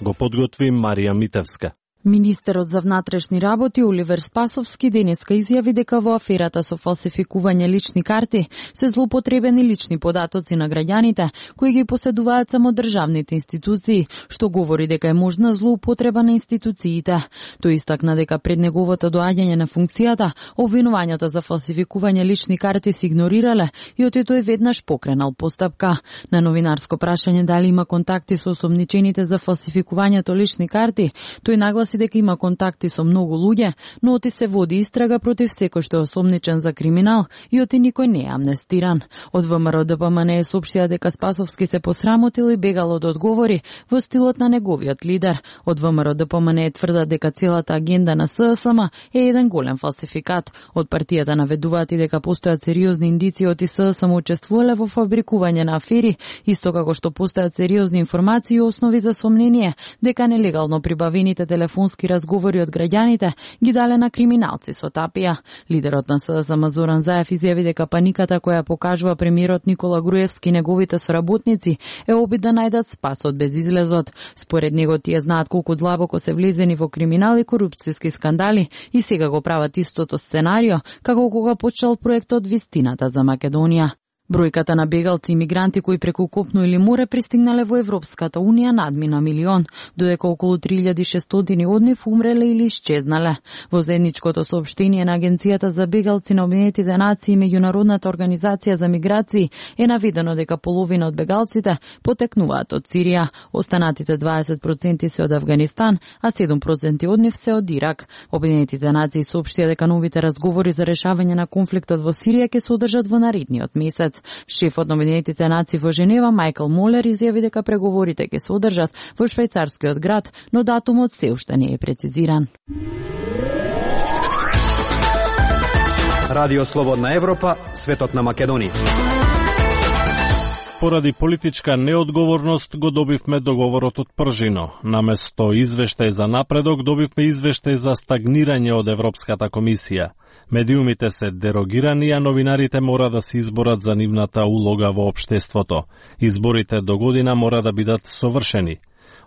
Го подготви Марија Митевска. Министерот за внатрешни работи Оливер Спасовски денеска изјави дека во аферата со фалсификување лични карти се злоупотребени лични податоци на граѓаните кои ги поседуваат само државните институции, што говори дека е можна злоупотреба на институциите. Тој истакна дека пред неговото доаѓање на функцијата, обвинувањата за фалсификување лични карти се игнорирале и од тој веднаш покренал постапка. На новинарско прашање дали има контакти со осомничените за фалсификувањето лични карти, тој нагласи дека има контакти со многу луѓе, но оти се води истрага против секој што е осомничен за криминал и оти никој не е амнестиран. Од ВМРО ДПМНЕ соопштија дека Спасовски се посрамотил и бегал од одговори во стилот на неговиот лидер. Од ВМРО ДПМНЕ тврдат дека целата агенда на ССМ е еден голем фалсификат. Од партијата наведуваат и дека постојат сериозни индиции од ССМ учествувале во фабрикување на афери, исто како што постојат сериозни информации и основи за сомнение дека нелегално прибавените телефонски разговори од граѓаните ги дале на криминалци со тапија. Лидерот на СДСМ Зоран Заев изјави дека паниката која покажува премиерот Никола Груевски и неговите соработници е обид да најдат спас од безизлезот. Според него тие знаат колку длабоко се влезени во криминал и корупцијски скандали и сега го прават истото сценарио како кога почел проектот Вистината за Македонија. Бројката на бегалци и мигранти кои преку копно или море пристигнале во Европската Унија надмина 1 милион, додека околу 3600 од нив умреле или исчезнале. Во заедничкото соопштение на Агенцијата за бегалци на Обединетите нации и Меѓународната организација за миграции е наведено дека половина од бегалците потекнуваат од Сирија, останатите 20% се од Авганистан, а 7% од нив се од Ирак. Обединетите нации соопштија дека новите разговори за решавање на конфликтот во Сирија ќе се одржат во наредниот месец. Шефот на Обединетите нации во Женева Мајкл Молер изјави дека преговорите ќе се одржат во швајцарскиот град, но датумот се уште не е прецизиран. Радио Слободна Европа, светот на Македонија. Поради политичка неодговорност го добивме договорот од пржино. Наместо извештај за напредок добивме извештај за стагнирање од Европската комисија. Медиумите се дерогирани, а новинарите мора да се изборат за нивната улога во општеството. Изборите до година мора да бидат совршени.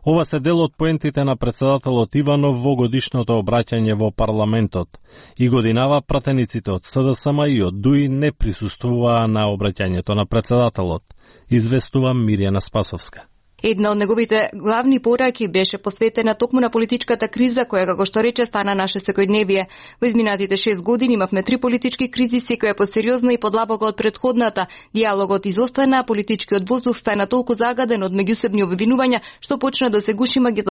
Ова се дел од поентите на председателот Иванов во годишното обраќање во парламентот. И годинава пратениците од СДСМ и од ДУИ не присуствуваа на обраќањето на председателот. Известува Мирјана Спасовска. Една од неговите главни пораки беше посветена токму на политичката криза, која, како што рече, стана наше секојдневие. Во изминатите 6 години имавме 3 политички кризи, секоја посериозна и подлабока од претходната. Диалогот изостана, политичкиот воздух стана толку загаден од меѓусебни обвинувања, што почна да се гуши